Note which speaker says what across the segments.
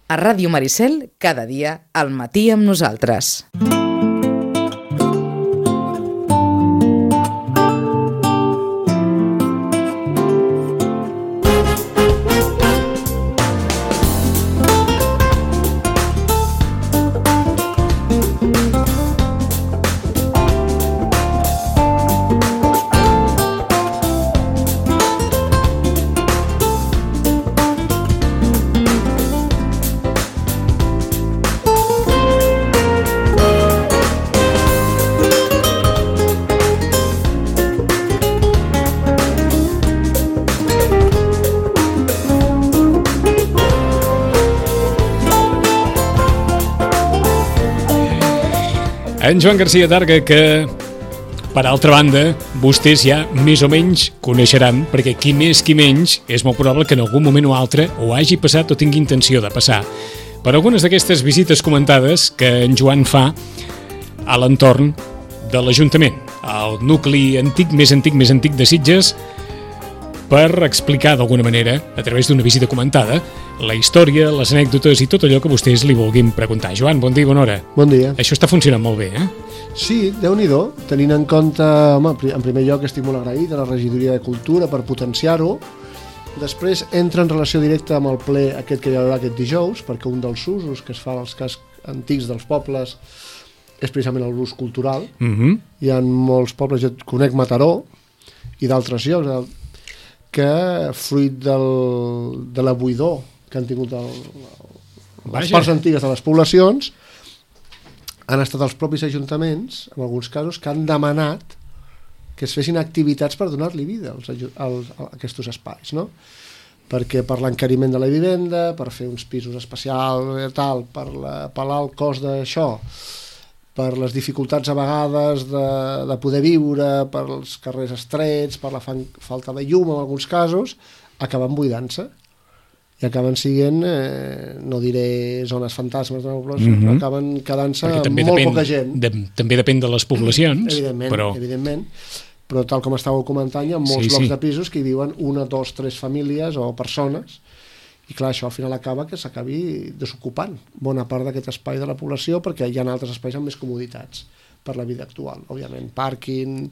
Speaker 1: A Ràdio Maricel, cada dia, al matí amb nosaltres.
Speaker 2: En Joan Garcia Targa, que, per altra banda, vostès ja més o menys coneixeran, perquè qui més qui menys és molt probable que en algun moment o altre ho hagi passat o tingui intenció de passar per algunes d'aquestes visites comentades que en Joan fa a l'entorn de l'Ajuntament, al nucli antic de Sitges, per explicar d'alguna manera, a través d'una visita comentada, la història, les anècdotes i tot allò que vostès li vulguin preguntar. Joan, bon dia i bona hora.
Speaker 3: Bon dia.
Speaker 2: Això està funcionant molt bé, eh?
Speaker 3: Sí, Déu-n'hi-do, tenint en compte, home, en primer lloc estic molt agraït a la Regidoria de Cultura per potenciar-ho. Després entra en relació directa amb el ple aquest que hi haurà aquest dijous, perquè un dels usos que es fa als cascs antics dels pobles és precisament l'ús cultural. Hi ha molts pobles, jo conec Mataró i d'altres llocs, que fruit de la buidor que han tingut les parts antigues de les poblacions, han estat els propis ajuntaments, en alguns casos, que han demanat que es fessin activitats per donar-li vida a aquests espais, no? Perquè per l'encariment de la vivenda, per fer uns pisos especials, tal, per l'alt cost d'això, per les dificultats a vegades de poder viure, per els carrers estrets, per la falta de llum en alguns casos, acaben buidant-se i acaben sent, no diré zones fantasmes, però acaben quedant-se molt poca gent.
Speaker 2: També depèn de les poblacions.
Speaker 3: Evidentment, però tal com estàveu comentant, hi ha molts blocs de pisos que hi viuen 1, 2, 3 famílies o persones. I clar, això al final acaba que s'acabi desocupant bona part d'aquest espai de la població, perquè hi ha altres espais amb més comoditats per la vida actual, òbviament, pàrquing,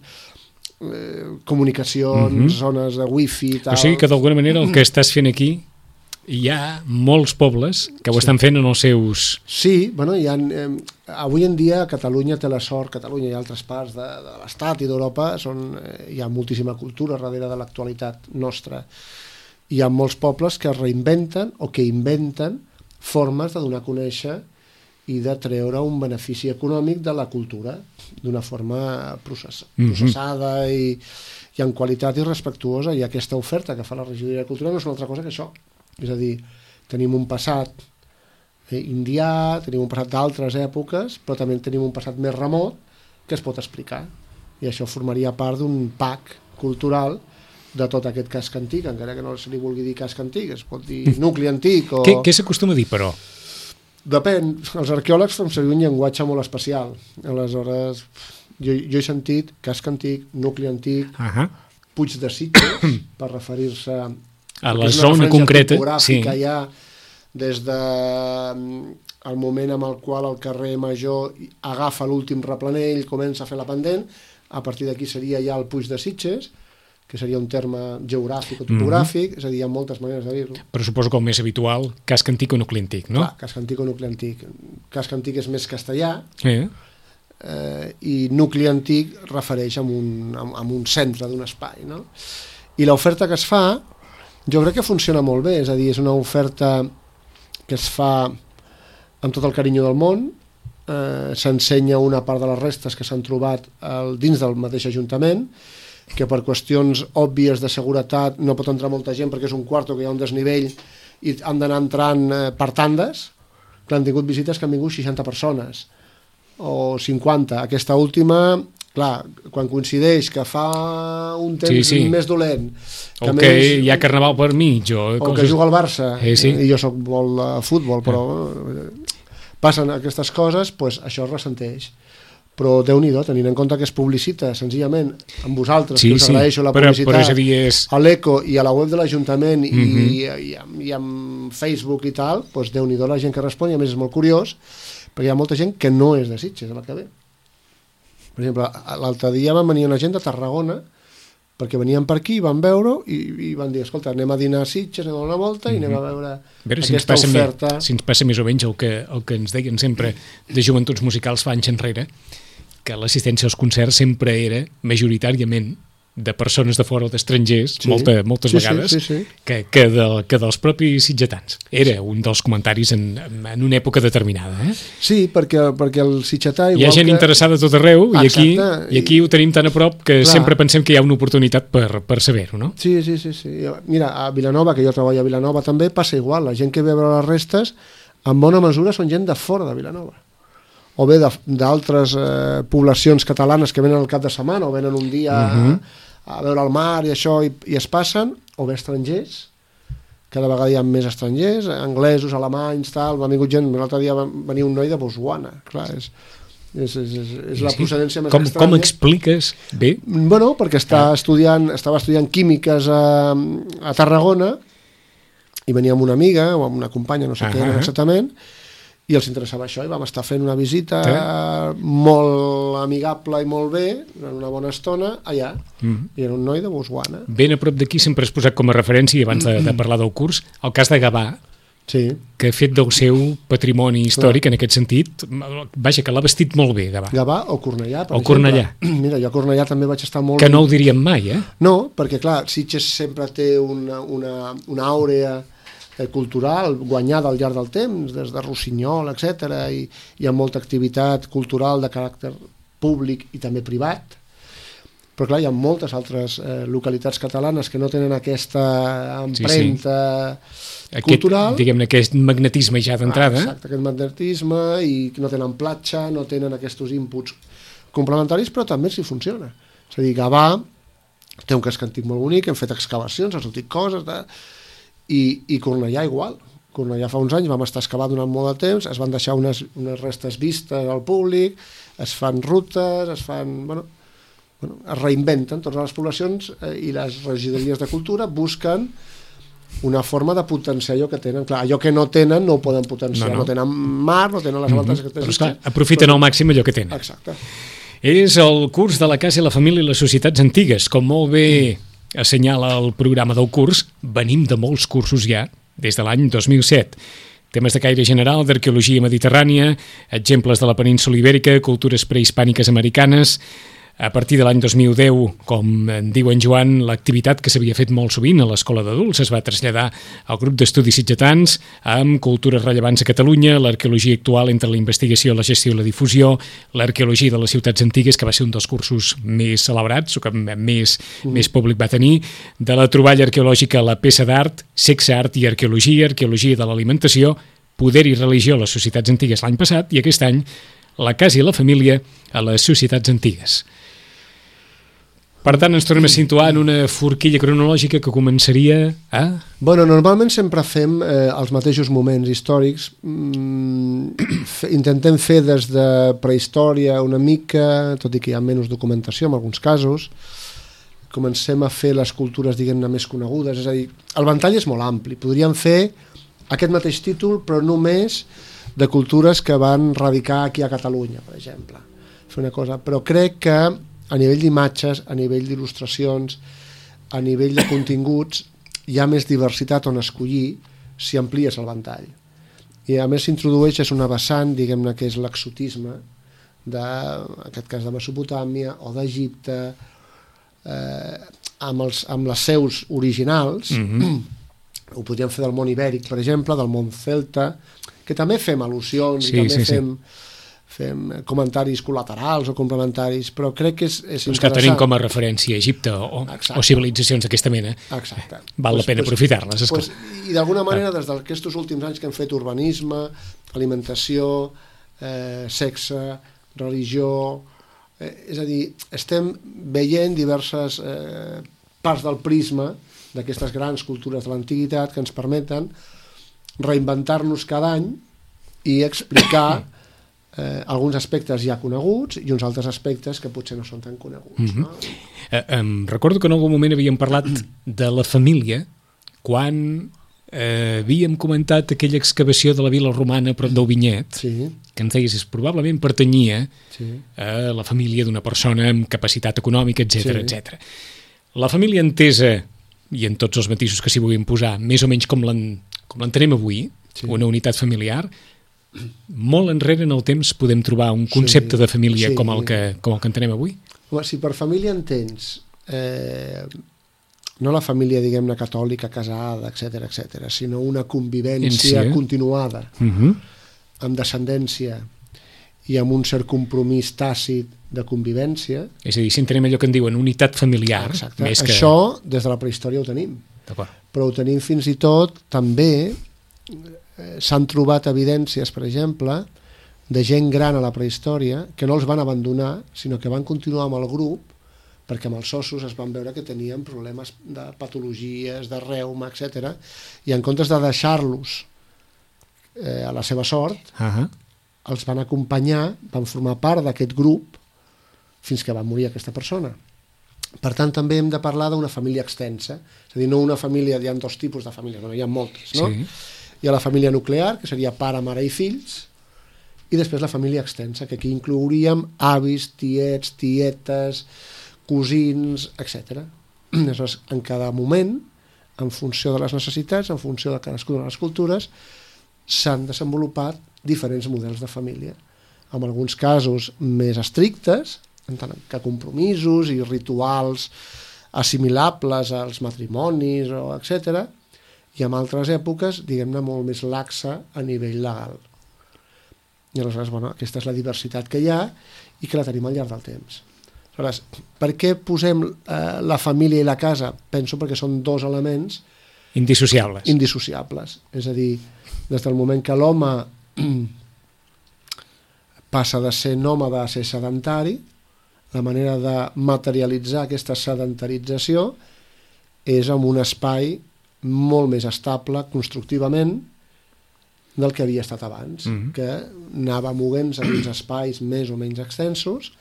Speaker 3: comunicacions, zones de wifi, tal.
Speaker 2: O sigui que d'alguna manera el que estàs fent aquí, hi ha molts pobles que ho estan fent en els seus...
Speaker 3: Sí, bueno, avui en dia Catalunya té la sort, Catalunya i altres parts de l'Estat i d'Europa, hi ha moltíssima cultura darrere de l'actualitat nostra. Hi ha molts pobles que es reinventen o que inventen formes de donar a conèixer i de treure un benefici econòmic de la cultura d'una forma processada i en qualitat i respectuosa. I aquesta oferta que fa la Regidoria de Cultura no és una altra cosa que això. És a dir, tenim un passat indià, tenim un passat d'altres èpoques, però també tenim un passat més remot que es pot explicar. I això formaria part d'un pack cultural de tot aquest casc antic, encara que no se li vulgui dir casc antic, es pot dir nucli antic o...
Speaker 2: Què s'acostuma a dir, però?
Speaker 3: Depèn, els arqueòlegs fan servir un llenguatge molt especial, aleshores jo he sentit casc antic, nucli antic, Puig de Sitges, per referir-se
Speaker 2: a la zona concreta,
Speaker 3: sí. Hi ha des del moment en el qual el carrer Major agafa l'últim replanell, comença a fer la pendent, a partir d'aquí seria ja el Puig de Sitges, que seria un terme geogràfic o topogràfic, és a dir, hi ha moltes maneres de dir-ho.
Speaker 2: Però suposo que el més habitual, casc antic o nucli antic, no?
Speaker 3: Clar, casc antic o nucli antic. Casc antic és més castellà, i nucli antic refereix a un centre d'un espai, no? I l'oferta que es fa, jo crec que funciona molt bé, és a dir, és una oferta que es fa amb tot el carinyo del món, s'ensenya una part de les restes que s'han trobat dins del mateix Ajuntament, que per qüestions òbvies de seguretat no pot entrar molta gent perquè és un quarto que hi ha un desnivell i han d'anar entrant per tandes, que han tingut visites que han vingut 60 persones o 50. Aquesta última, clar, quan coincideix que fa un temps més dolent,
Speaker 2: que o que hi ha carnaval per mig o
Speaker 3: que juga al Barça, i jo soc molt de futbol, però passen aquestes coses, doncs això es ressenteix. però Déu-n'hi-do, tenint en compte que es publicita senzillament amb vosaltres,
Speaker 2: sí,
Speaker 3: que us agraeixo la publicitat,
Speaker 2: però és a dir,
Speaker 3: a l'Eco i a la web de l'Ajuntament i amb Facebook i tal, doncs Déu-n'hi-do la gent que respon, i a més és molt curiós, perquè hi ha molta gent que no és de Sitges, a la que ve. Per exemple, l'altre dia van venir una gent de Tarragona, perquè venien per aquí, van veure i van dir, escolta, anem a dinar a Sitges, anem a una volta i anem a veure aquesta oferta.
Speaker 2: Si ens passa més o menys el que ens deien sempre de joventuts musicals fa anys enrere, que l'assistència als concerts sempre era majoritàriament de persones de fora o d'estrangers, moltes vegades, que dels propis sitgetans. Era un dels comentaris en una època determinada.
Speaker 3: Sí, perquè el sitgetà...
Speaker 2: Hi ha gent interessada a tot arreu i aquí ho tenim tan a prop que sempre pensem que hi ha una oportunitat per saber-ho, no?
Speaker 3: Sí. Mira, a Vilanova, que jo treballo a Vilanova també, passa igual. La gent que ve a veure les restes, en bona mesura són gent de fora de Vilanova. O bé d'altres poblacions catalanes que venen al cap de setmana o venen un dia a veure el mar i això i es passen, o bé estrangers, cada vegada hi ha més estrangers, anglesos, alemanys, tal, m'ha vingut gent, l'altre dia va venir un noi de Botswana, clar, és la procedència més estranya.
Speaker 2: Com expliques bé?
Speaker 3: Bueno, perquè estava estudiant químiques a Tarragona i venia amb una amiga o amb una companya, no sé què era exactament, i els interessava això, i vam estar fent una visita molt amigable i molt bé, en una bona estona, allà, i era un noi de Botswana.
Speaker 2: Ben a prop d'aquí sempre has posat com a referència, abans de parlar del curs, el cas de Gavà, que ha fet del seu patrimoni històric, en aquest sentit, vaja, que l'ha vestit molt bé, Gavà.
Speaker 3: Gavà o Cornellà, per exemple. Mira, jo a Cornellà també vaig estar molt...
Speaker 2: Que no ho diríem mai,
Speaker 3: No, perquè clar, Sitges sempre té una àurea cultural guanyada al llarg del temps, des de Rossinyol, etc. I hi ha molta activitat cultural de caràcter públic i també privat, però clar, hi ha moltes altres localitats catalanes que no tenen aquesta empremta cultural.
Speaker 2: Diguem-ne, aquest magnetisme ja d'entrada.
Speaker 3: Exacte, aquest magnetisme, i que no tenen platja, no tenen aquests inputs complementaris, però també s'hi funciona. És a dir, Gavà té un casc antic molt bonic, hem fet excavacions, han sortit coses... I Cornellà igual. Cornellà fa uns anys vam estar excavant durant molt de temps, es van deixar unes restes vistes al públic, es fan rutes, es reinventen totes les poblacions, i les regidories de cultura busquen una forma de potenciar allò que tenen. Clar, allò que no tenen no ho poden potenciar, no tenen mar, no tenen les avantatges que tenen.
Speaker 2: Però esclar, aprofiten al màxim allò que tenen.
Speaker 3: Exacte.
Speaker 2: És el curs de la Casa i la Família i les Societats Antigues, com molt bé assenyala el programa del curs. Venim de molts cursos ja, des de l'any 2007. Temes de caire general, d'arqueologia mediterrània, exemples de la península ibèrica, cultures prehispàniques americanes. A partir de l'any 2010, com en diu en Joan, l'activitat que s'havia fet molt sovint a l'Escola d'Adults es va traslladar al grup d'estudis sitgetans amb cultures rellevants a Catalunya, l'arqueologia actual entre la investigació, la gestió i la difusió, l'arqueologia de les ciutats antigues, que va ser un dels cursos més celebrats, o que més públic va tenir, de la troballa arqueològica, la peça d'art, sexe, art i arqueologia de l'alimentació, poder i religió a les societats antigues l'any passat, i aquest any la casa i la família a les societats antigues. Per tant, ens tornem a situar en una forquilla cronològica que començaria a...
Speaker 3: Bueno, normalment sempre fem els mateixos moments històrics. Intentem fer des de prehistòria una mica, tot i que hi ha menys documentació en alguns casos. Comencem a fer les cultures, diguem-ne, més conegudes. És a dir, el ventall és molt ampli. Podríem fer aquest mateix títol, però només de cultures que van radicar aquí a Catalunya, per exemple. Fer una cosa. Però crec que a nivell d'imatges, a nivell d'il·lustracions, a nivell de continguts, hi ha més diversitat on escollir si amplies el ventall. I a més s'introdueix una vessant, diguem-ne, que és l'exotisme, en aquest cas de Mesopotàmia o d'Egipte, amb les seus originals. Ho podríem fer del món ibèric, per exemple, del món celta, que també fem al·lusions i també fem comentaris col·laterals o complementaris, però crec que és interessant.
Speaker 2: Que tenim com a referència Egipte o civilitzacions d'aquesta mena.
Speaker 3: Exacte.
Speaker 2: Val la pena aprofitar-les.
Speaker 3: I d'alguna manera, des d'aquests últims anys que hem fet urbanisme, alimentació, sexe, religió, és a dir, estem veient diverses parts del prisma d'aquestes grans cultures de l'antiguitat que ens permeten reinventar-nos cada any i explicar alguns aspectes ja coneguts i uns altres aspectes que potser no són tan coneguts. No?
Speaker 2: Recordo que en algun moment havíem parlat de la família quan havíem comentat aquella excavació de la vila romana prop d'Auvinyet,
Speaker 3: Sí,
Speaker 2: que ens deies probablement pertanyia
Speaker 3: sí.
Speaker 2: a la família d'una persona amb capacitat econòmica, etc
Speaker 3: Sí.
Speaker 2: etc. La família entesa, i en tots els matisos que s'hi vulguin posar, més o menys com l'entenem avui,
Speaker 3: Sí.
Speaker 2: una unitat familiar, molt enrere en el temps podem trobar un concepte de família
Speaker 3: Sí.
Speaker 2: com el que entenem avui.
Speaker 3: Home, si per família entens no la família, diguem-ne, catòlica, casada, etc, sinó una convivència continuada, amb descendència i amb un cert compromís tàcit de convivència.
Speaker 2: És a dir, si entenem allò que en diuen unitat familiar,
Speaker 3: Exacte.
Speaker 2: més que...
Speaker 3: Això, des de la prehistòria ho tenim.
Speaker 2: D'acord.
Speaker 3: Però ho tenim fins i tot, també, s'han trobat evidències, per exemple, de gent gran a la prehistòria que no els van abandonar, sinó que van continuar amb el grup, perquè amb els ossos es van veure que tenien problemes de patologies, de reuma, etc. I en comptes de deixar-los a la seva sort, els van acompanyar, van formar part d'aquest grup fins que va morir aquesta persona. Per tant, també hem de parlar d'una família extensa, és a dir, no una família, hi ha dos tipus de famílies, bueno, hi ha moltes, no?
Speaker 2: Sí.
Speaker 3: Hi ha la família nuclear, que seria pare, mare i fills, i després la família extensa, que aquí inclouríem avis, tiets, tietes, cosins, etc. Aleshores, en cada moment, en funció de les necessitats, en funció de cadascuna de les cultures, s'han desenvolupat diferents models de família. En alguns casos més estrictes, en tant que compromisos i rituals assimilables als matrimonis, etc., i en altres èpoques, diguem-ne, molt més laxa a nivell legal. I aleshores, bueno, aquesta és la diversitat que hi ha i que la tenim al llarg del temps. Aleshores, per què posem la família i la casa? Penso perquè són dos elements indissociables. És a dir, des del moment que l'home passa de ser nòmada a ser sedentari, la manera de materialitzar aquesta sedentarització és amb un espai molt més estable constructivament del que havia estat abans, que anava movent-se dins espais més o menys extensos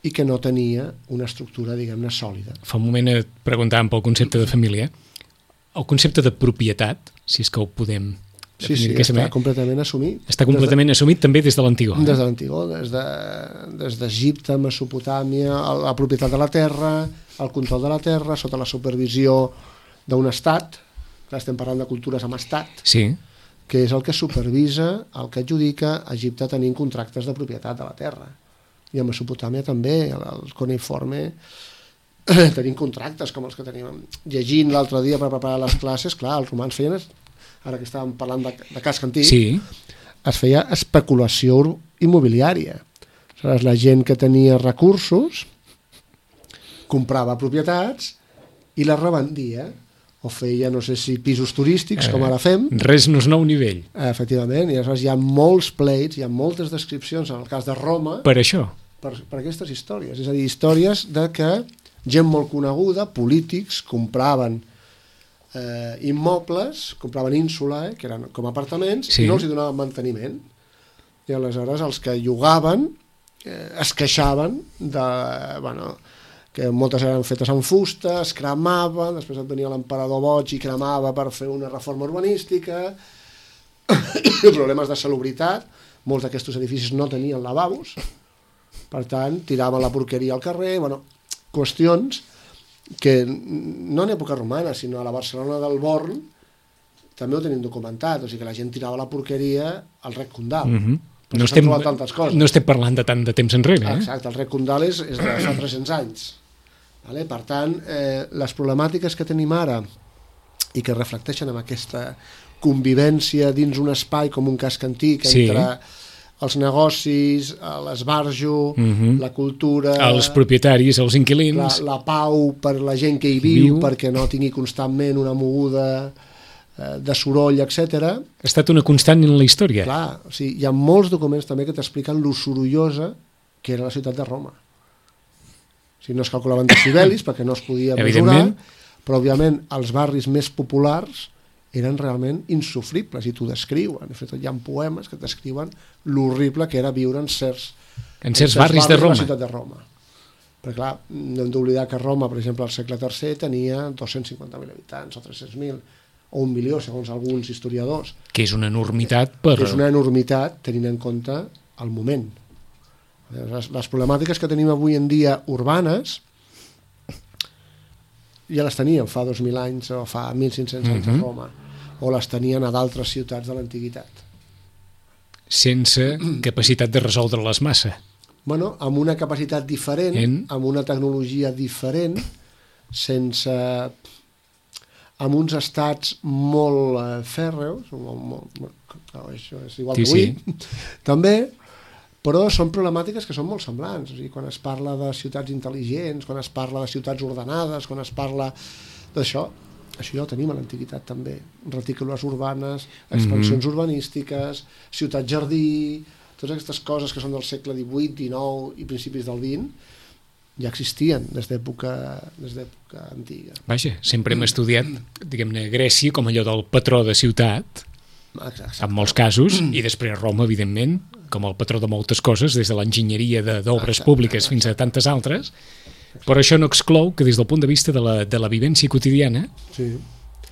Speaker 3: i que no tenia una estructura, diguem-ne, sòlida.
Speaker 2: Fa un moment et preguntàvem pel concepte de família. El concepte de propietat, si és que ho podem definir d'aquesta manera,
Speaker 3: completament assumit.
Speaker 2: està completament assumit també des de l'antigor.
Speaker 3: Des de l'antigor, des d'Egipte, Mesopotàmia, la propietat de la terra, el control de la terra, sota la supervisió d'un estat, clar, estem parlant de cultures amb estat,
Speaker 2: Sí.
Speaker 3: que és el que supervisa, el que adjudica a Egipte tenint contractes de propietat de la terra. I a Mesopotàmia també, el cuneïforme, tenim contractes com els que tenim. Llegint l'altre dia per preparar les classes, clar, els romans feien, ara que estàvem parlant de casc antic,
Speaker 2: Sí.
Speaker 3: es feia especulació immobiliària. Aleshores, la gent que tenia recursos comprava propietats i les revendia, o feia, no sé si pisos turístics, com ara fem.
Speaker 2: Res no és nou nivell.
Speaker 3: Efectivament, i aleshores hi ha molts pleits, hi ha moltes descripcions, en el cas de Roma,
Speaker 2: Per això.
Speaker 3: per aquestes històries. És a dir, històries de que gent molt coneguda, polítics, compraven immobles, compraven ínsula, que eren com apartaments,
Speaker 2: Sí.
Speaker 3: i no els hi donaven manteniment. I aleshores els que llogaven es queixaven de, bueno, que moltes eren fetes en fusta, es cremaven, després et venia l'emperador boig i cremava per fer una reforma urbanística, problemes de salubritat, molts d'aquests edificis no tenien lavabos, per tant, tiraven la porqueria al carrer, bueno, qüestions que no en època romana, sinó a la Barcelona del Born també ho tenim documentat, o sigui que la gent tirava la porqueria al rec Condal.
Speaker 2: No estem,
Speaker 3: tantes coses.
Speaker 2: no estem parlant de tant de temps enrere.
Speaker 3: Exacte, el rec Condal és de fa 300 anys. Vale? Per tant, les problemàtiques que tenim ara i que reflecteixen en aquesta convivència dins un espai com un casc antic entre els negocis, l'esbarjo, la cultura...
Speaker 2: Els propietaris, els inquilins...
Speaker 3: La pau per la gent que hi viu, perquè no tingui constantment una moguda de soroll, etc.
Speaker 2: Ha estat una constant en la història.
Speaker 3: Clar, o sigui, hi ha molts documents també que t'expliquen lo sorollosa que era la ciutat de Roma. O sigui, no es calculaven decibelis perquè no es podia mesurar, però òbviament els barris més populars eren realment insufribles i t'ho descriuen. De fet, hi ha poemes que descriuen l'horrible que era viure en certs
Speaker 2: barris de Roma.
Speaker 3: La ciutat de Roma. Perquè, clar, no hem d'oblidar que Roma, per exemple, al segle III tenia 250.000 habitants o 300.000 o 1 milió, segons alguns historiadors.
Speaker 2: Que és una enormitat
Speaker 3: És una enormitat tenint en compte el moment. Les problemàtiques que tenim avui en dia urbanes ja les teníem fa 2.000 anys o fa 1.500 anys a Roma, o les tenien a d'altres ciutats de l'antiguitat.
Speaker 2: Sense capacitat de resoldre-les massa.
Speaker 3: Bueno, amb una capacitat diferent, amb una tecnologia diferent, amb uns estats molt fèrreus, això és igual que avui, també, però són problemàtiques que són molt semblants. O sigui, quan es parla de ciutats intel·ligents, quan es parla de ciutats ordenades, quan es parla d'això, això ja ho tenim a l'antiguitat també. Retícules urbanes, expansions urbanístiques, ciutat-jardí, totes aquestes coses que són del segle XVIII, XIX i principis del XX, ja existien des d'època antiga.
Speaker 2: Vaja, sempre hem estudiat, diguem-ne, Grècia com allò del patró de ciutat, en molts casos, i després Roma, evidentment, com el patró de moltes coses, des de l'enginyeria d'obres públiques fins a tantes altres, però això no exclou que des del punt de vista de la vivència quotidiana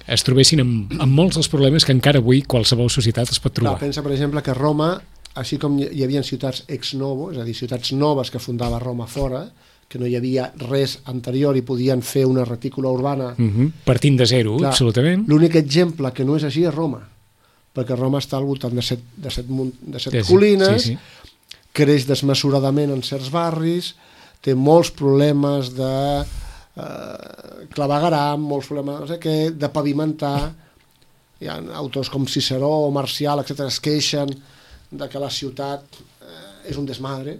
Speaker 2: es trobessin amb molts dels problemes que encara avui qualsevol societat es pot trobar.
Speaker 3: Pensa, per exemple, que Roma, així com hi havia ciutats ex novo, és a dir, ciutats noves que fundava Roma fora, que no hi havia res anterior i podien fer una retícula urbana...
Speaker 2: Partint de zero, absolutament.
Speaker 3: L'únic exemple que no és així és Roma, perquè Roma està al voltant de set collines, creix desmesuradament en certs barris, té molts problemes de clavegueram, molts problemes no sé què, de pavimentar. Hi ha autors com Ciceró o Marcial, etc., es queixen de que la ciutat és un desmadre,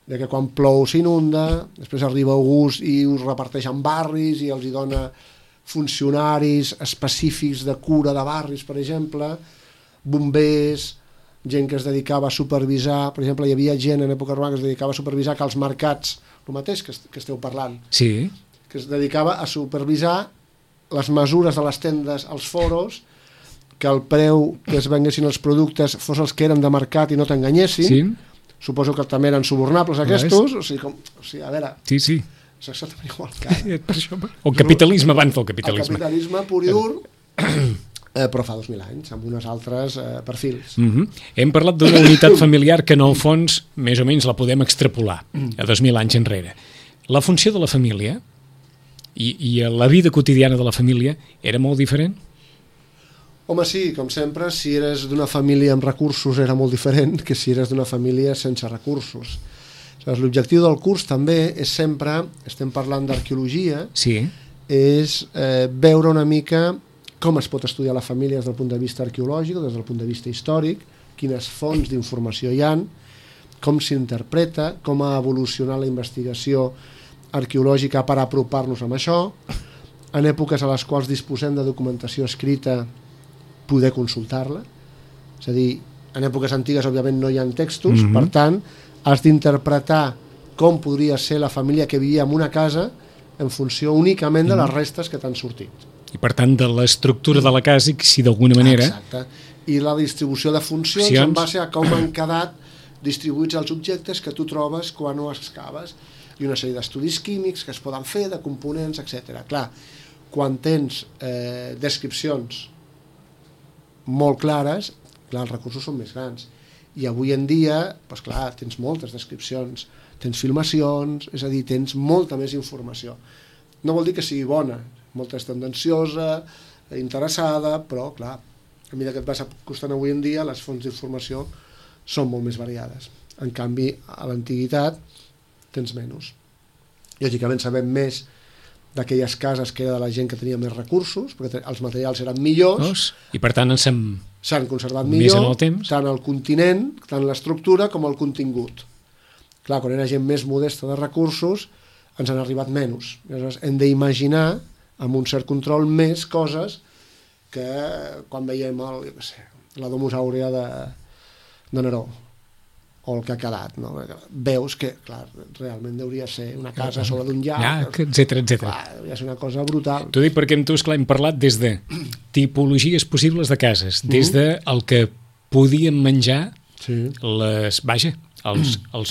Speaker 3: de que quan plou s'inunda, després arriba August i us reparteix en barris i els hi dona funcionaris específics de cura de barris, per exemple, bombers, gent que es dedicava a supervisar, per exemple, hi havia gent en època romana que es dedicava a supervisar que els mercats, el mateix que esteu parlant, que es dedicava a supervisar les mesures de les tendes als foros, que el preu que es venguessin els productes fos els que eren de mercat i no t'enganyessin. Suposo que també eren subornables aquests, o sigui, a veure... És exactament igual que ara.
Speaker 2: El capitalisme abans del capitalisme.
Speaker 3: El capitalisme pur i dur, però fa 2.000 anys, amb uns altres perfils.
Speaker 2: Hem parlat d'una unitat familiar que en el fons més o menys la podem extrapolar a 2.000 anys enrere. La funció de la família i la vida quotidiana de la família era molt diferent?
Speaker 3: Home, sí, com sempre, si eres d'una família amb recursos era molt diferent que si eres d'una família sense recursos. L'objectiu del curs també és sempre, estem parlant d'arqueologia, és veure una mica com es pot estudiar la família des del punt de vista arqueològic, des del punt de vista històric, quines fonts d'informació hi ha, com s'interpreta, com ha evolucionat la investigació arqueològica per apropar-nos amb això, en èpoques a les quals disposem de documentació escrita poder consultar-la, és a dir, en èpoques antigues òbviament no hi ha textos, per tant has d'interpretar com podria ser la família que vivia en una casa en funció únicament de les restes que t'han sortit.
Speaker 2: I per tant de l'estructura de la casa, si d'alguna manera...
Speaker 3: Exacte, i la distribució de funcions en base a com han quedat distribuïts els objectes que tu trobes quan ho excaves, i una sèrie d'estudis químics que es poden fer, de components, etc. Clar, quan tens descripcions molt clares, clar, els recursos són més grans. I avui en dia, doncs clar, tens moltes descripcions, tens filmacions, és a dir, tens molta més informació. No vol dir que sigui bona, molta és tendenciosa, interessada, però, clar, a mesura que et vas acostant avui en dia, les fonts d'informació són molt més variades. En canvi, a l'antiguitat tens menys. Lògicament sabem més d'aquelles cases que era de la gent que tenia més recursos, perquè els materials eren millors,
Speaker 2: i per tant
Speaker 3: s'han conservat millor, tant el continent, tant l'estructura com el contingut. Clar, quan era gent més modesta de recursos, ens han arribat menys. Llavors hem d'imaginar, amb un cert control, més coses que quan veiem la Domus Aurea de Neró, o el que ha quedat, no? Veus que, clar, realment hauria ser una casa sobre d'un llac,
Speaker 2: etcètera.
Speaker 3: Hauria ser una cosa brutal.
Speaker 2: T'ho dic perquè amb tu, esclar, hem parlat des de tipologies possibles de cases, des de el que podíem menjar els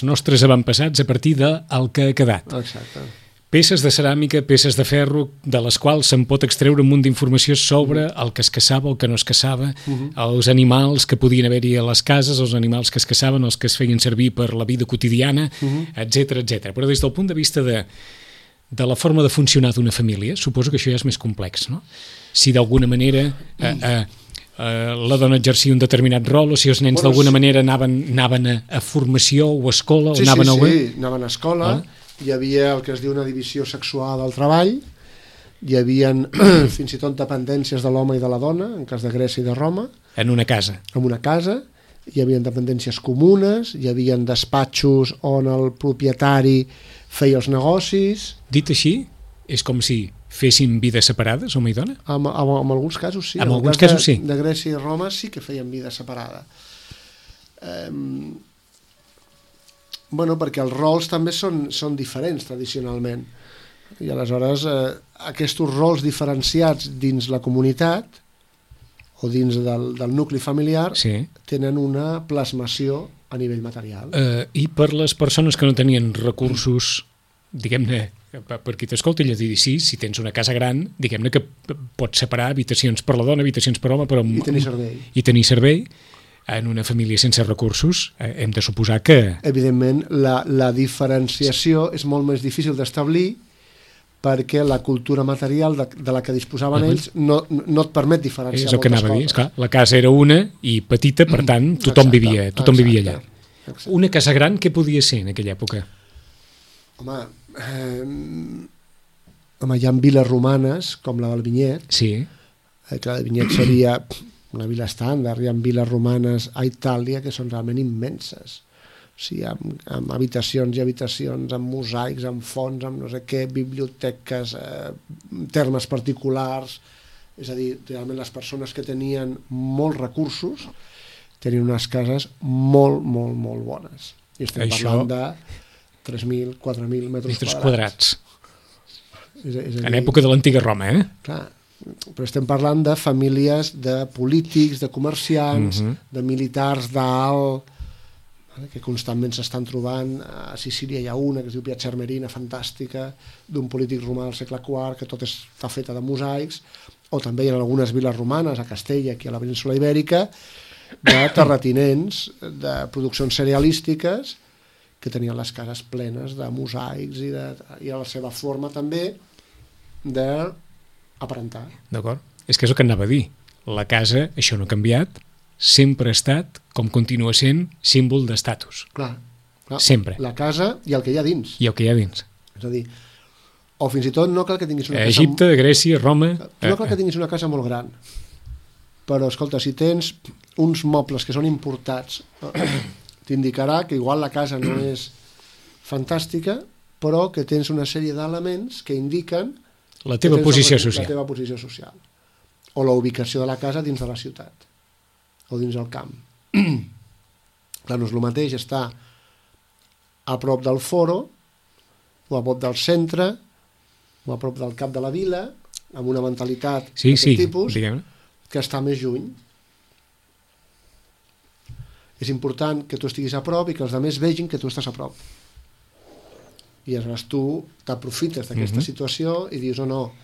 Speaker 2: nostres avantpassats a partir del que ha quedat.
Speaker 3: Exacte.
Speaker 2: Peces de ceràmica, peces de ferro, de les quals se'n pot extreure un munt d'informació sobre el que es caçava, el que no es caçava, els animals que podien haver-hi a les cases, els animals que es caçaven, els que es feien servir per la vida quotidiana, etcètera. Però des del punt de vista de la forma de funcionar d'una família, suposo que això ja és més complex, no? Si d'alguna manera la dona exercia un determinat rol, o si els nens d'alguna manera anaven a formació o a escola, o anaven a...
Speaker 3: Sí, anaven a escola. Hi havia el que es diu una divisió sexual del treball, hi havia fins i tot dependències de l'home i de la dona, en cas de Grècia i de Roma.
Speaker 2: En una casa.
Speaker 3: En una casa, hi havia dependències comunes, hi havia despatxos on el propietari feia els negocis.
Speaker 2: Dit així, és com si fessin vides separades, home i dona?
Speaker 3: En alguns casos sí.
Speaker 2: En alguns casos sí.
Speaker 3: De Grècia i Roma sí que feien vida separada. Bueno, perquè els rols també són diferents tradicionalment, i aleshores aquests rols diferenciats dins la comunitat o dins del nucli familiar tenen una plasmació a nivell material.
Speaker 2: I per les persones que no tenien recursos, diguem-ne, per qui t'escolta, si tens una casa gran, diguem-ne que pots separar habitacions per la dona, habitacions per home, però i tenir servei. En una família sense recursos hem de suposar que...
Speaker 3: Evidentment, la diferenciació és molt més difícil d'establir perquè la cultura material de la que disposaven ells no et permet diferenciar moltes coses. És el que anava a dir, esclar.
Speaker 2: La casa era una i petita, per tant, tothom vivia allà. Exacte. Una casa gran, què podia ser en aquella època?
Speaker 3: Home, hi ha viles romanes, com la del Vinyet, que la del Vinyet seria... una vila estàndard, hi ha viles romanes a Itàlia que són realment immenses, o sigui, amb habitacions i habitacions, amb mosaics, amb fonts, amb no sé què, biblioteques, termes particulars, és a dir, realment les persones que tenien molts recursos tenien unes cases molt, molt, molt bones, i estem parlant de 3.000, 4.000 metres quadrats.
Speaker 2: En època de l'antiga Roma,
Speaker 3: Clar, però estem parlant de famílies de polítics, de comerciants, de militars d'alt, que constantment s'estan trobant. A Sicília hi ha una que es diu Piazza Armerina, fantàstica, d'un polític romà del segle IV, que tot està feta de mosaics, o també hi ha algunes viles romanes, a Castella, aquí a la península Ibèrica, de terratinents, de produccions cerealístiques, que tenien les cases plenes de mosaics i a la seva forma també de aparentar.
Speaker 2: D'acord. És que és el que anava a dir. La casa, això no ha canviat, sempre ha estat, com continua sent, símbol d'estatus.
Speaker 3: Clar.
Speaker 2: Sempre.
Speaker 3: La casa i el que hi ha dins.
Speaker 2: I el que hi ha dins.
Speaker 3: És a dir, o fins i tot no cal que tinguis una casa...
Speaker 2: Egipte, Grècia, Roma...
Speaker 3: No cal que tinguis una casa molt gran. Però, escolta, si tens uns mobles que són importats, t'indicarà que igual la casa no és fantàstica, però que tens una sèrie d'elements que indiquen
Speaker 2: la teva posició social.
Speaker 3: La teva posició social. O la ubicació de la casa dins de la ciutat. O dins del camp. Clar, no és el mateix estar a prop del foro, o a prop del centre, o a prop del cap de la vila, amb una mentalitat d'aquest tipus, que estar més lluny. És important que tu estiguis a prop i que els altres vegin que tu estàs a prop. I aleshores tu t'aprofites d'aquesta situació i dius, no,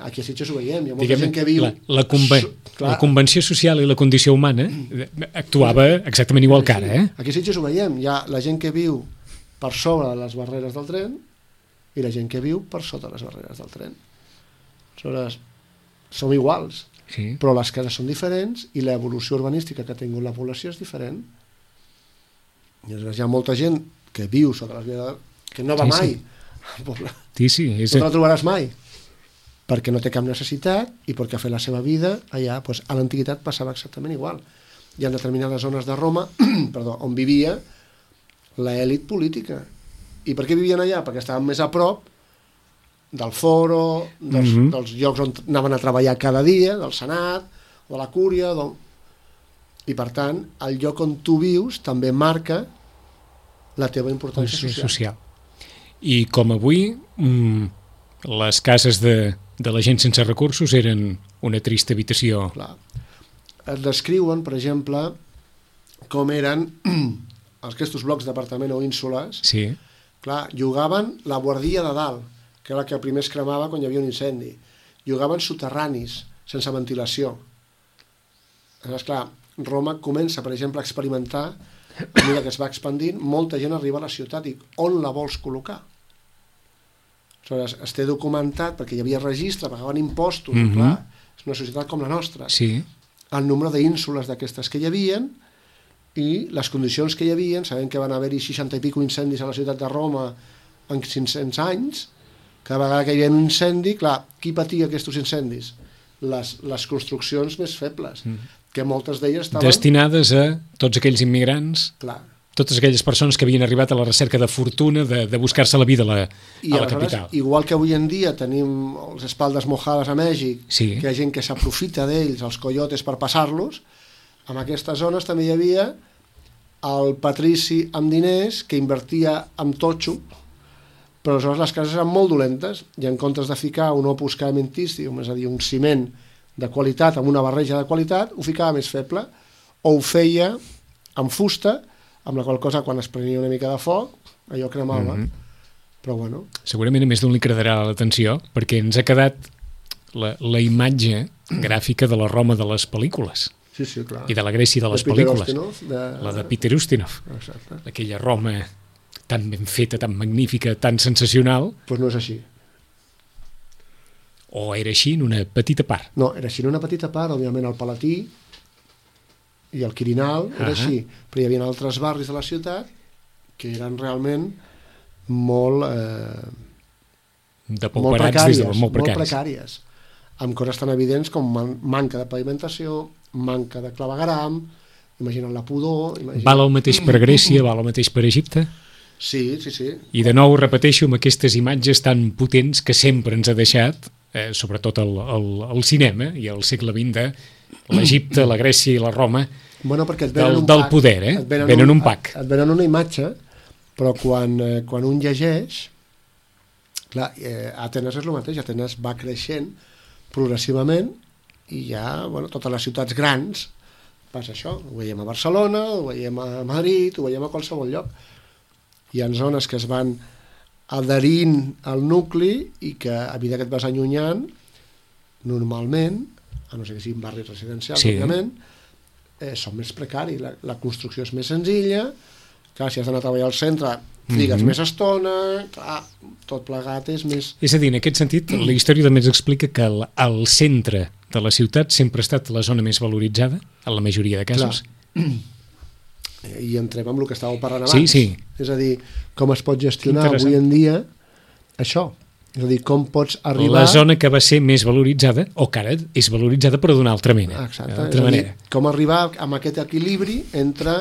Speaker 3: aquí a Sitges ho veiem, hi ha molta gent que viu...
Speaker 2: La convenció social i la condició humana actuava exactament igual que ara.
Speaker 3: Aquí a Sitges ho veiem, hi ha la gent que viu per sobre de les barreres del tren i la gent que viu per sota de les barreres del tren. Aleshores, som iguals, però les cases són diferents i l'evolució urbanística que ha tingut la població és diferent. I aleshores hi ha molta gent que viu sota les barreres que no va mai al poble. No la trobaràs mai, perquè no té cap necessitat i perquè ha fet la seva vida allà. A l'antiguitat passava exactament igual. Hi ha determinades zones de Roma on vivia l'elit política. I per què vivien allà? Perquè estaven més a prop del foro, dels llocs on anaven a treballar cada dia, del Senat, o de la Cúria, I, per tant, el lloc on tu vius també marca la teva importància social.
Speaker 2: I com avui, les cases de la gent sense recursos eren una trista habitació.
Speaker 3: Clar. Es descriuen, per exemple, com eren aquests blocs d'apartament o ínsules.
Speaker 2: Sí.
Speaker 3: Clar, llogaven la guardia de dalt, que era la que primer es cremava quan hi havia un incendi. Llogaven soterranis, sense ventilació. Aleshores, clar, Roma comença, per exemple, a experimentar, a mesura que es va expandint, molta gent arriba a la ciutat i on la vols col·locar? Aleshores, es té documentat, perquè hi havia registre, pagaven impostos, clar, és una societat com la nostra.
Speaker 2: Sí.
Speaker 3: El nombre d'ínsules d'aquestes que hi havien i les condicions que hi havien, sabem que van haver-hi 60 i pico incendis a la ciutat de Roma en 500 anys, cada vegada que hi havia un incendi, clar, qui patia aquests incendis? Les construccions més febles, que moltes d'elles estaven...
Speaker 2: Destinades a tots aquells immigrants,
Speaker 3: clar,
Speaker 2: totes aquelles persones que havien arribat a la recerca de fortuna, de buscar-se la vida a la capital.
Speaker 3: Igual que avui en dia tenim les espaldes mojades a Mèxic,
Speaker 2: sí,
Speaker 3: que hi ha gent que s'aprofita d'ells, els coyotes, per passar-los, en aquestes zones també hi havia el patrici amb diners que invertia en totxo, però aleshores les cases eren molt dolentes i en comptes de ficar un opus caementicium, és a dir, un ciment de qualitat amb una barreja de qualitat, ho ficava més feble o ho feia amb fusta, amb la qual cosa quan es prenia una mica de foc allò cremava, però bueno.
Speaker 2: Segurament a més d'un li cridarà l'atenció perquè ens ha quedat la imatge gràfica de la Roma de les pel·lícules.
Speaker 3: Sí, sí, clar.
Speaker 2: I de la Grècia de les pel·lícules. La de Peter Ustinov.
Speaker 3: Exacte.
Speaker 2: Aquella Roma tan ben feta, tan magnífica, tan sensacional.
Speaker 3: Doncs no és així.
Speaker 2: O era així en una petita part?
Speaker 3: No, era així en una petita part, òbviament el Palatí i el Quirinal, era així, però hi havia altres barris de la ciutat que eren realment molt precàries, amb coses tan evidents com manca de pavimentació, manca de clavegueram, imagina't la pudor...
Speaker 2: Val el mateix per Grècia, val el mateix per Egipte?
Speaker 3: Sí, sí, sí.
Speaker 2: I de nou repeteixo amb aquestes imatges tan potents que sempre ens ha deixat, sobretot el cinema i el segle XX de l'Egipte, la Grècia i la Roma,
Speaker 3: bueno,
Speaker 2: del poder, venen un pack.
Speaker 3: Et venen una imatge, però quan un llegeix, clar, Atenes és el mateix, Atenes va creixent progressivament i ja, bueno, totes les ciutats grans passa això, ho veiem a Barcelona, ho veiem a Madrid, ho veiem a qualsevol lloc. Hi ha zones que es van adherint al nucli i que a mesura que et vas allunyant, normalment, a no ser que siguin barris residencials, sí, òbviament, són més precaris, la construcció és més senzilla, clar, si has d'anar a treballar al centre trigues més estona, clar, tot plegat és més... És
Speaker 2: a dir, en aquest sentit, la història també ens explica que el centre de la ciutat sempre ha estat la zona més valoritzada, en la majoria de casos.
Speaker 3: Clar. I entrem amb el que estàveu parlant abans.
Speaker 2: Sí, sí.
Speaker 3: És a dir, com es pot gestionar avui en dia això. És a dir, com pots arribar...
Speaker 2: La zona que va ser més valoritzada, o que ara és valoritzada però d'una altra mena.
Speaker 3: Exacte. És a dir, com arribar amb aquest equilibri entre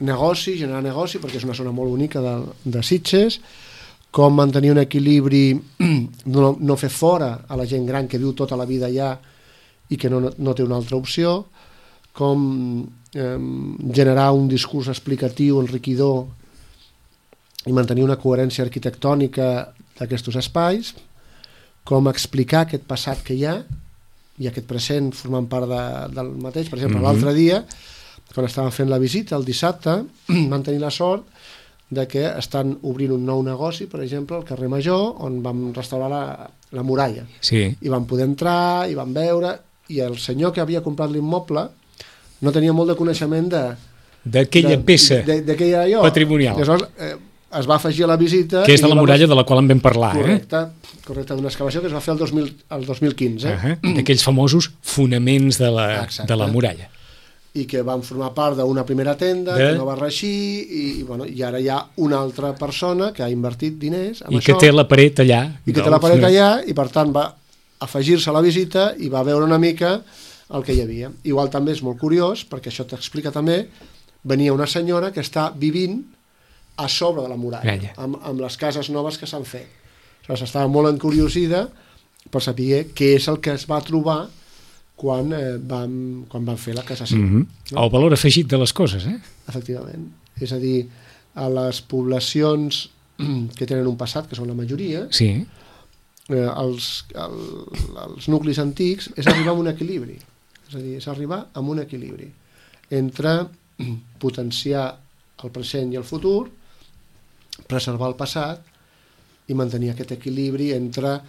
Speaker 3: negoci, generar negoci, perquè és una zona molt bonica de Sitges, com mantenir un equilibri, no fer fora a la gent gran que viu tota la vida allà i que no té una altra opció, com generar un discurs explicatiu, enriquidor i mantenir una coherència arquitectònica d'aquests espais, com explicar aquest passat que hi ha i aquest present formant part del mateix. Per exemple, l'altre dia, quan estàvem fent la visita, el dissabte, vam tenir la sort de que estan obrint un nou negoci, per exemple, al carrer Major, on vam restaurar la muralla.
Speaker 2: Sí. I
Speaker 3: vam poder entrar, i vam veure, i el senyor que havia comprat l'immoble no tenia molt de coneixement
Speaker 2: d'aquella peça patrimonial.
Speaker 3: Llavors es va afegir a la visita...
Speaker 2: Que és de la muralla de la qual en vam parlar.
Speaker 3: Correcte, d'una excavació que es va fer el 2015.
Speaker 2: D'aquells famosos fonaments de la muralla.
Speaker 3: I que van formar part d'una primera tenda, que no va reeixir, i ara hi ha una altra persona que ha invertit diners en això.
Speaker 2: I que té la paret allà.
Speaker 3: I per tant va afegir-se a la visita i va veure una mica el que hi havia. Igual també és molt curiós, perquè això t'explica també, venia una senyora que està vivint a sobre de la muralla, amb les cases noves que s'han fet. Estava molt encuriosida per saber què és el que es va trobar quan van fer la cassació.
Speaker 2: El valor afegit de les coses,
Speaker 3: Efectivament. És a dir, a les poblacions que tenen un passat, que són la majoria,
Speaker 2: sí.
Speaker 3: Els nuclis antics és arribar a un equilibri. És a dir, és arribar a un equilibri entre potenciar el present i el futur, preservar el passat i mantenir aquest equilibri entre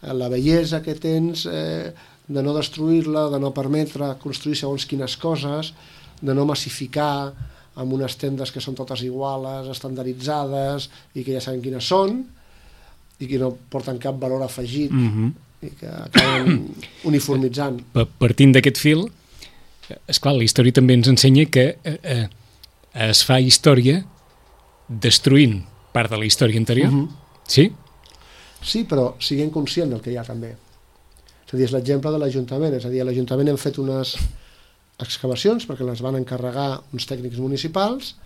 Speaker 3: la bellesa que tens, de no destruir-la, de no permetre construir segons quines coses, de no massificar amb unes tendes que són totes iguales, estandarditzades i que ja sabem quines són i que no porten cap valor afegit i que acaben uniformitzant.
Speaker 2: Partint d'aquest fil, esclar, la història també ens ensenya que es fa història destruint part de la història anterior. Sí?
Speaker 3: Sí, però siguem conscients del que hi ha també. És a dir, és l'exemple de l'Ajuntament. És a dir, a l'Ajuntament hem fet unes excavacions perquè les van encarregar uns tècnics municipals,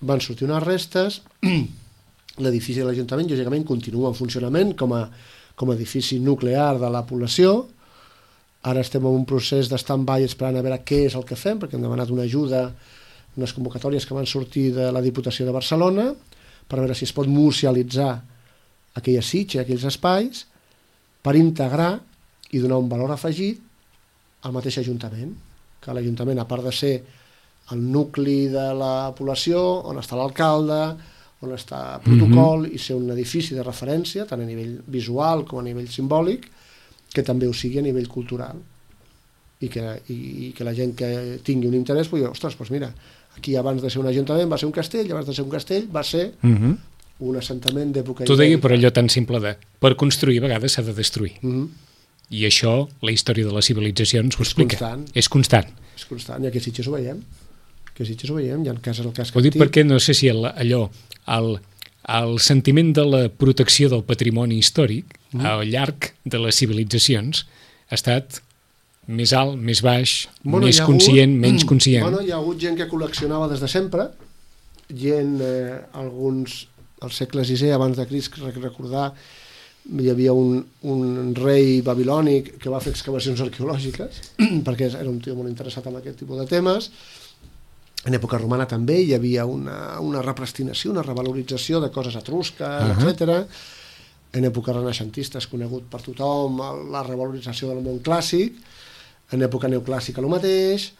Speaker 3: van sortir unes restes, l'edifici de l'Ajuntament lògicament continua en funcionament com a edifici nuclear de la població. Ara estem en un procés d'stand-by esperant a veure què és el que fem, perquè hem demanat una ajuda, unes convocatòries que van sortir de la Diputació de Barcelona per veure si es pot musealitzar aquella sitja, aquells espais, per integrar i donar un valor afegit al mateix Ajuntament, que l'Ajuntament, a part de ser el nucli de la població, on està l'alcalde, on està el protocol, i ser un edifici de referència, tant a nivell visual com a nivell simbòlic, que també ho sigui a nivell cultural. I que la gent que tingui un interès pugui dir, ostres, doncs mira, aquí abans de ser un ajuntament va ser un castell, abans de ser un castell va ser un assentament d'època...
Speaker 2: Tu deia per allò tan simple de, per construir a vegades s'ha de destruir. I això, la història de les civilitzacions ho explica. És constant.
Speaker 3: És constant, i aquí a Sitges ho veiem. Hi ha casos, el cas que...
Speaker 2: Ho dic perquè no sé si el sentiment de la protecció del patrimoni històric al llarg de les civilitzacions ha estat més alt, més baix, més conscient, menys conscient.
Speaker 3: Hi ha hagut gent que col·leccionava des de sempre, gent, alguns, al segle VI abans de Crist, recordar, hi havia un rei babilònic que va fer excavacions arqueològiques, perquè era un tio molt interessat en aquest tipus de temes. En època romana també hi havia una repristinació, una revalorització de coses etrusques, etc. En època renaixentista és conegut per tothom la revalorització del món clàssic, en època neoclàssica el mateix,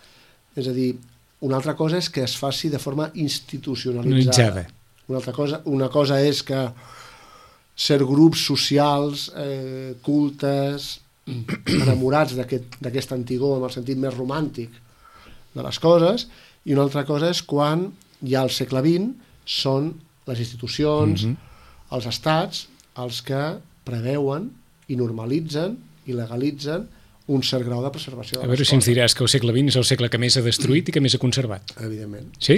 Speaker 3: és a dir, una altra cosa és que es faci de forma institucionalitzada. Una cosa és que ser grups socials, cultes, enamorats d'aquest antigor en el sentit més romàntic de les coses, i una altra cosa és quan ja al segle XX són les institucions, els estats, els que preveuen i normalitzen i legalitzen un cert grau de preservació de les coses.
Speaker 2: A veure si ens diràs que el segle XX és el segle que més ha destruït i que més ha conservat.
Speaker 3: Evidentment.
Speaker 2: Sí?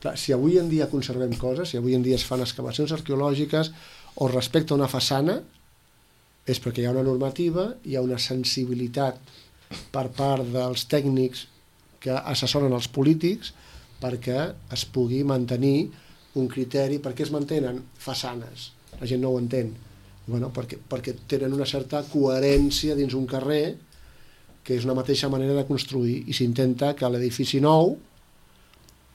Speaker 3: Clar, si avui en dia conservem coses, si avui en dia es fan excavacions arqueològiques o respecte a una façana, és perquè hi ha una normativa, hi ha una sensibilitat per part dels tècnics que assessoren els polítics perquè es pugui mantenir un criteri. Per què es mantenen façanes? La gent no ho entén. Bueno, perquè tenen una certa coherència dins un carrer, que és una mateixa manera de construir, i s'intenta que l'edifici nou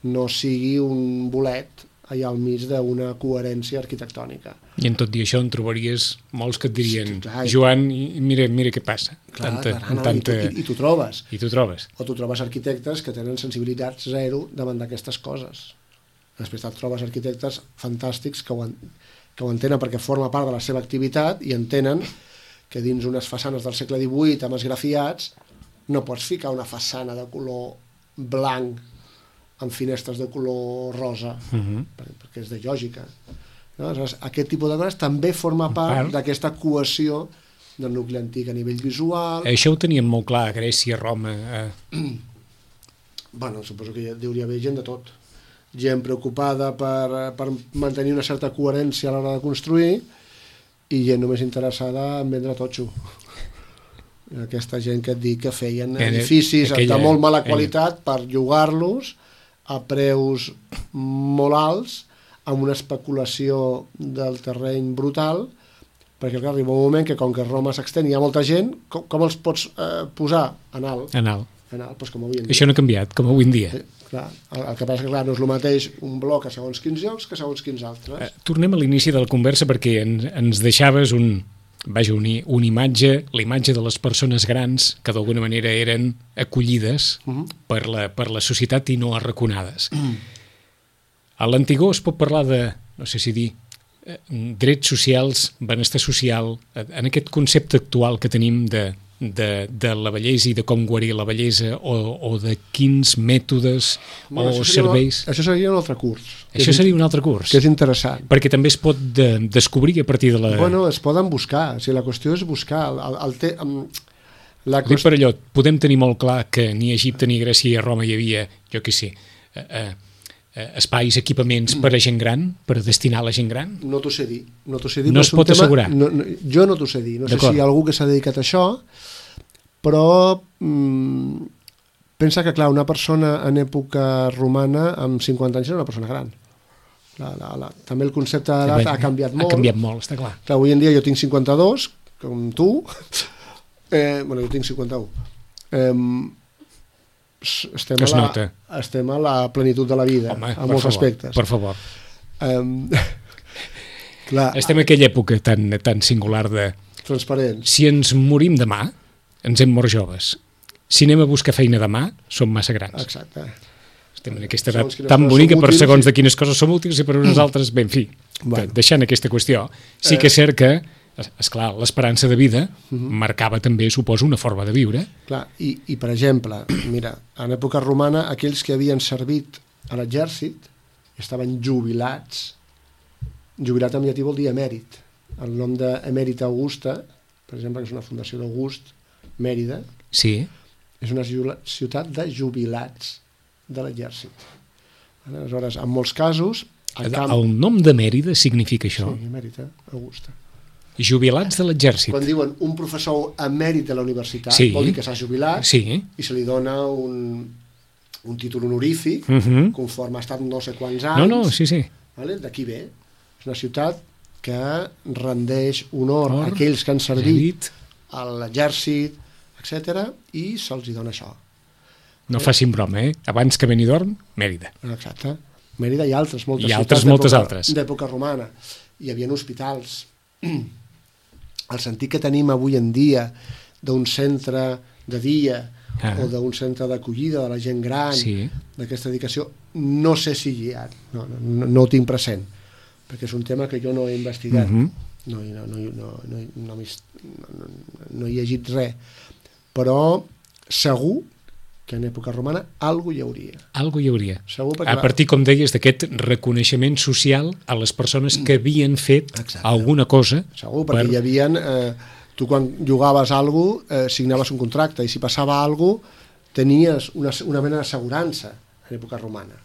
Speaker 3: no sigui un bolet allà al mig d'una coherència arquitectònica.
Speaker 2: I en tot i això en trobaries molts que et dirien, Joan, mira què passa.
Speaker 3: I t'ho trobes.
Speaker 2: I t'ho trobes.
Speaker 3: O t'ho trobes arquitectes que tenen sensibilitat zero davant d'aquestes coses. Després et trobes arquitectes fantàstics que ho entenen perquè forma part de la seva activitat i entenen que dins unes façanes del segle XVIII amb esgrafiats no pots ficar una façana de color blanc amb finestres de color rosa, perquè és de lògica. No? Aleshores, aquest tipus de coses també forma part d'aquesta cohesió del nucli antic a nivell visual.
Speaker 2: Això ho teníem molt clar a Grècia, a Roma.
Speaker 3: Bueno, suposo que hi hauria haver gent de tot. Gent preocupada per mantenir una certa coherència a l'hora de construir i gent només interessada en vendre totxo. Aquesta gent que et dic que feien edificis de molt mala qualitat per llogar-los a preus molt alts, amb una especulació del terreny brutal, perquè clar, arriba un moment que com que Roma s'extén i hi ha molta gent, com els pots posar en alt?
Speaker 2: En alt.
Speaker 3: Doncs com avui en dia.
Speaker 2: Això no ha canviat, com avui en dia.
Speaker 3: Clar, el que passa que clar, no és el mateix un bloc a segons quins llocs que a segons quins altres.
Speaker 2: Tornem a l'inici de la conversa perquè ens deixaves una imatge, la imatge de les persones grans que d'alguna manera eren acollides per la societat i no arraconades. A l'Antigó es pot parlar de, no sé si dir, drets socials, benestar social, en aquest concepte actual que tenim de la bellesa i de com guarir la bellesa o de quins mètodes o serveis...
Speaker 3: Això seria un altre curs.
Speaker 2: Això seria un altre curs.
Speaker 3: Que és interessant.
Speaker 2: Perquè també es pot descobrir a partir de la...
Speaker 3: Bueno, es poden buscar. O sigui, la qüestió és buscar.
Speaker 2: Dic per allò, podem tenir molt clar que ni a Egipte ni a Grècia ni a Roma hi havia, jo què sé, espais, equipaments per a gent gran, per destinar a la gent gran?
Speaker 3: No t'ho sé dir. No
Speaker 2: es pot assegurar?
Speaker 3: Jo no t'ho sé dir. No sé si hi ha algú que s'ha dedicat a això, però pensa que, clar, una persona en època romana amb 50 anys era una persona gran. També el concepte d'edat ha canviat molt.
Speaker 2: Ha canviat molt, està clar.
Speaker 3: Avui en dia jo tinc 52, com tu. Jo tinc 51. Estem a la plenitud de la vida.
Speaker 2: Home,
Speaker 3: en molts aspectes.
Speaker 2: Per favor.
Speaker 3: Clar,
Speaker 2: estem en aquella època tan singular de...
Speaker 3: Transparents.
Speaker 2: Si ens morim demà, ens hem mort joves. Si anem a buscar feina demà, som massa grans.
Speaker 3: Exacte.
Speaker 2: Estem en aquesta edat tan bonica per segons de quines coses som útils i per unes altres, bé, en fi, deixant aquesta qüestió. Sí que és cert que, esclar, l'esperança de vida marcava també, suposo, una forma de viure.
Speaker 3: Clar, i per exemple, mira, en època romana, aquells que havien servit a l'exèrcit estaven jubilats. Jubilat en llatí vol dir emèrit. El nom d'Emèrita Augusta, per exemple, que és una fundació d'August, Mèrida,
Speaker 2: sí,
Speaker 3: és una ciutat de jubilats de l'exèrcit. Aleshores, en molts casos...
Speaker 2: El nom de Mèrida significa això?
Speaker 3: Sí, Emèrita Augusta.
Speaker 2: Jubilats de l'exèrcit.
Speaker 3: Quan diuen un professor emèrit de la universitat, vol dir que s'ha jubilat i se li dona un títol honorífic conforme ha estat no sé quants anys.
Speaker 2: Sí.
Speaker 3: Vale? D'aquí ve. És una ciutat que rendeix honor a aquells que han servit a l'exèrcit, etc. i se'ls dona això.
Speaker 2: No facin broma, Abans que Benidorm, Mèrida.
Speaker 3: Exacte. Mèrida i altres,
Speaker 2: moltes altres
Speaker 3: d'època romana. Hi havia hospitals. El sentit que tenim avui en dia d'un centre de dia o d'un centre d'acollida de la gent gran, d'aquesta dedicació, no sé si hi ha, no ho tinc present, perquè és un tema que jo no he investigat, no he llegit res, però segur que en època romana alguna hi hauria.
Speaker 2: Alguna hi hauria.
Speaker 3: Segur, perquè
Speaker 2: a partir, com deies, d'aquest reconeixement social a les persones que havien fet alguna cosa.
Speaker 3: Segur, perquè hi havia... Tu quan jugaves a alguna cosa, signaves un contracte, i si passava alguna cosa, tenies una mena d'assegurança en època romana.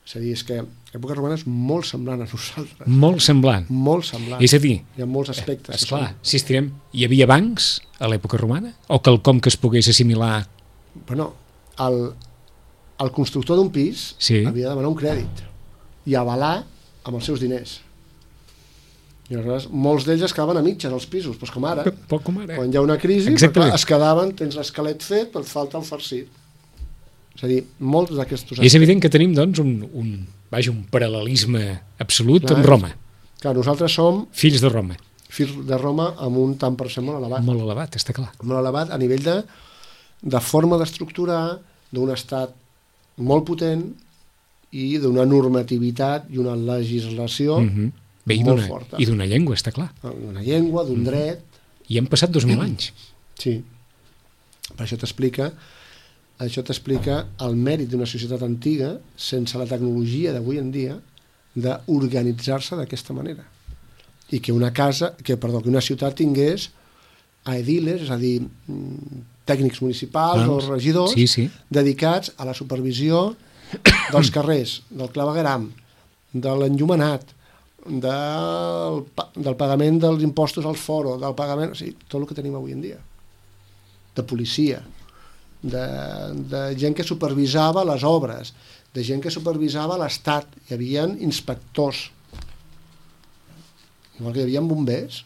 Speaker 3: És a dir, és que l'època romana és molt semblant a nosaltres.
Speaker 2: Molt semblant.
Speaker 3: Molt semblant.
Speaker 2: És a dir,
Speaker 3: hi ha molts aspectes.
Speaker 2: Esclar, si estirem, hi havia bancs a l'època romana? O quelcom que es pogués assimilar?
Speaker 3: Bueno, el constructor d'un pis havia de demanar un crèdit i avalar amb els seus diners. I aleshores molts d'ells es quedaven a mitges als pisos, doncs com ara. Quan hi ha una crisi, es quedaven, tens l'esquelet fet, però et falta el farcit. És a dir, molts d'aquests...
Speaker 2: És evident que tenim, doncs, un paral·lelisme absolut amb Roma.
Speaker 3: Clar, nosaltres som...
Speaker 2: Fills de Roma.
Speaker 3: Fills de Roma amb un tant per cent molt elevat.
Speaker 2: Molt elevat, està clar.
Speaker 3: Molt elevat a nivell de forma d'estructurar d'un estat molt potent i d'una normativitat i una legislació molt forta.
Speaker 2: I d'una llengua, està clar.
Speaker 3: D'una llengua, d'un dret...
Speaker 2: I han passat 2000 anys.
Speaker 3: Sí. Per això t'explica el mèrit d'una societat antiga sense la tecnologia d'avui en dia d'organitzar-se d'aquesta manera. I que una ciutat tingués aediles, és a dir, tècnics municipals o regidors dedicats a la supervisió dels carrers, del clavegueram, de l'enllumenat, del pagament dels impostos al foro, del pagament... O sigui, tot el que tenim avui en dia. De policia, de gent que supervisava les obres, de gent que supervisava l'Estat. Hi havia inspectors, igual que hi havia bombers,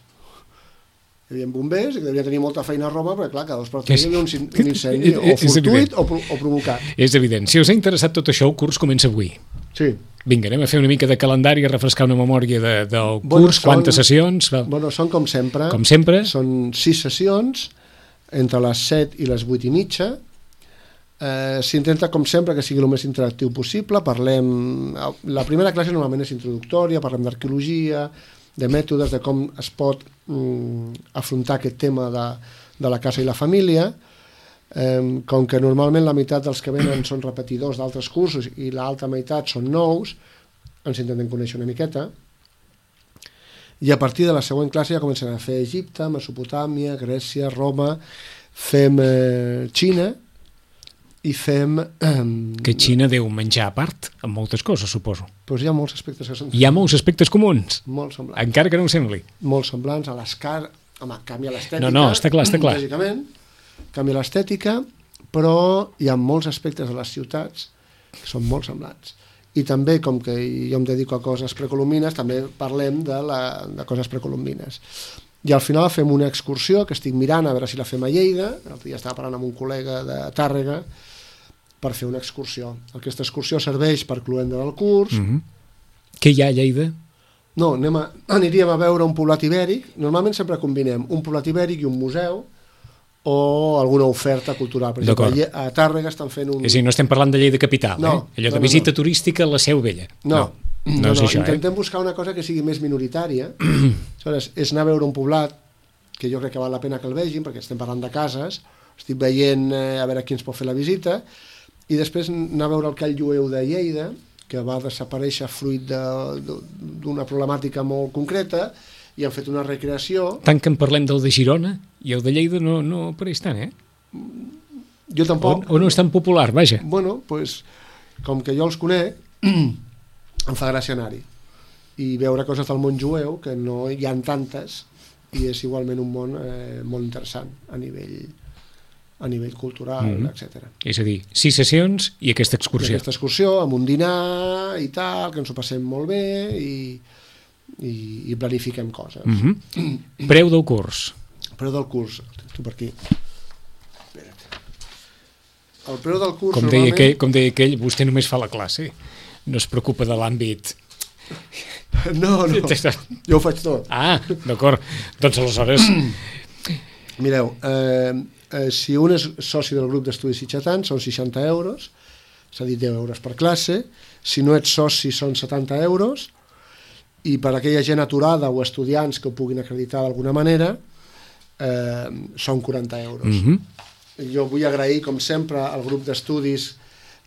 Speaker 3: Hi havia bombers, que devien tenir molta feina a Roma, perquè clar, cada 2 per 3 hi havia un incendi, o fortuït o provocat.
Speaker 2: És evident. Si us ha interessat tot això, el curs comença avui.
Speaker 3: Sí.
Speaker 2: Vinga, anem a fer una mica de calendari, a refrescar una memòria del curs, quantes sessions...
Speaker 3: Bueno, són com sempre.
Speaker 2: Com sempre.
Speaker 3: Són 6 sessions, entre les 7 i les 8 i mitja. S'intenta, com sempre, que sigui el més interactiu possible. La primera classe normalment és introductòria, parlem d'arqueologia, de mètodes, de com es pot afrontar aquest tema de la casa i la família. Com que normalment la meitat dels que venen són repetidors d'altres cursos i l'altra meitat són nous, ens intentem conèixer una miqueta. I a partir de la següent classe ja comencem a fer Egipte, Mesopotàmia, Grècia, Roma, fem Xina i fem...
Speaker 2: Que Xina deu menjar a part, amb moltes coses, suposo.
Speaker 3: Doncs hi ha molts aspectes que són...
Speaker 2: Hi ha molts aspectes comuns?
Speaker 3: Molt semblants.
Speaker 2: Encara que no ho sembli.
Speaker 3: Molt semblants a les cases... Home, canvia l'estètica.
Speaker 2: No, està clar.
Speaker 3: Lògicament, canvia l'estètica, però hi ha molts aspectes de les ciutats que són molt semblants. I també, com que jo em dedico a coses precolombines, també parlem de coses precolombines. I al final fem una excursió que estic mirant a veure si la fem a Lleida. L'altre dia estava parlant amb un col·lega de Tàrrega per fer una excursió. Aquesta excursió serveix per cloenda del curs.
Speaker 2: Què hi ha a Lleida?
Speaker 3: No, aniríem a veure un poblat ibèric. Normalment sempre combinem un poblat ibèric i un museu o alguna oferta cultural. Per exemple, a Tàrrega estan fent un...
Speaker 2: És a dir, no estem parlant de Lleida capital, allò de visita turística a la Seu Vella.
Speaker 3: No,
Speaker 2: és això,
Speaker 3: intentem buscar una cosa que sigui més minoritària. Aleshores, és anar a veure un poblat que jo crec que val la pena que el vegin, perquè estem parlant de cases, estic veient a veure qui ens pot fer la visita, i després anar a veure el Call Jueu de Lleida, que va desaparèixer fruit d'una problemàtica molt concreta, i han fet una recreació.
Speaker 2: Tant que en parlem del de Girona, i el de Lleida no apareix tant,
Speaker 3: Jo tampoc.
Speaker 2: O no és tan popular, vaja.
Speaker 3: Bueno, doncs, com que jo els conec, em fa gràcia anar-hi i veure coses del món jueu, que no hi ha tantes, i és igualment un món molt interessant a nivell cultural, etc.
Speaker 2: És a dir, 6 sessions i aquesta excursió.
Speaker 3: Aquesta excursió, amb un dinar i tal, que ens ho passem molt bé i planifiquem coses.
Speaker 2: Preu del curs.
Speaker 3: Preu del curs, tu per aquí. Espera't. El preu del curs
Speaker 2: com deia aquell, vostè només fa la classe, no es preocupa de l'àmbit.
Speaker 3: No, jo ho faig tot.
Speaker 2: Ah, d'acord, doncs aleshores...
Speaker 3: Mireu, si un és soci del grup d'estudis sitgetans són 60 euros, és a dir, 10 euros per classe. Si no ets soci són 70 euros, i per aquella gent aturada o estudiants que ho puguin acreditar d'alguna manera són 40 euros. Jo vull agrair, com sempre, al grup d'estudis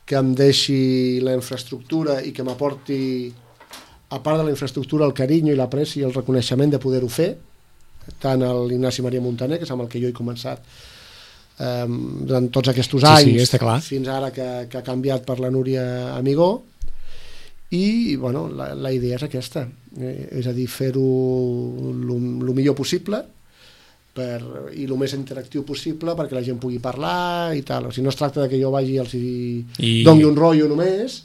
Speaker 3: que em deixi la infraestructura i que m'aporti, a part de la infraestructura, el carinyo i l'apreci i el reconeixement de poder-ho fer, tant a l'Ignasi Maria Montaner, que és amb el que jo he començat durant tots aquests anys, fins ara que ha canviat per la Núria Amigó, i bueno, la idea és aquesta, és a dir, fer-ho el millor possible i el més interactiu possible perquè la gent pugui parlar i tal. O sigui, no es tracta que jo vagi i els doni un rotllo només,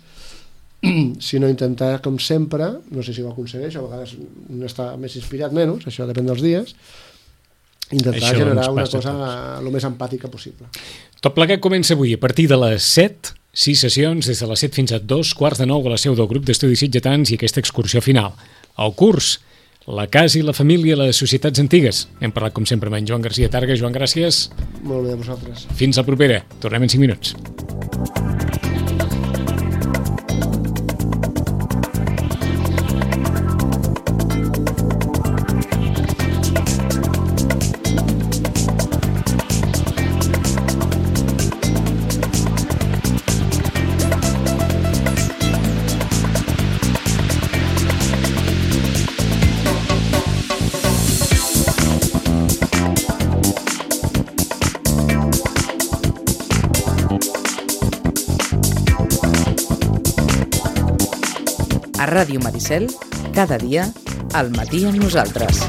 Speaker 3: sinó intentar, com sempre, no sé si ho aconsegueixo, a vegades un està més inspirat, menys, això depèn dels dies, intentar generar una cosa el més empàtica possible.
Speaker 2: Tot plegat comença avui a partir de les 7, 6 sessions, des de les 7 fins a 2:45 a la seu del grup d'estudis sitgetans i aquesta excursió final. El curs, la casa i la família, les societats antigues. Hem parlat, com sempre, amb en Joan Garcia Targa. Joan, gràcies.
Speaker 3: Molt bé, a vosaltres.
Speaker 2: Fins la propera. Tornem en 5 minuts.
Speaker 1: A Ràdio Maricel, cada dia, al matí amb nosaltres.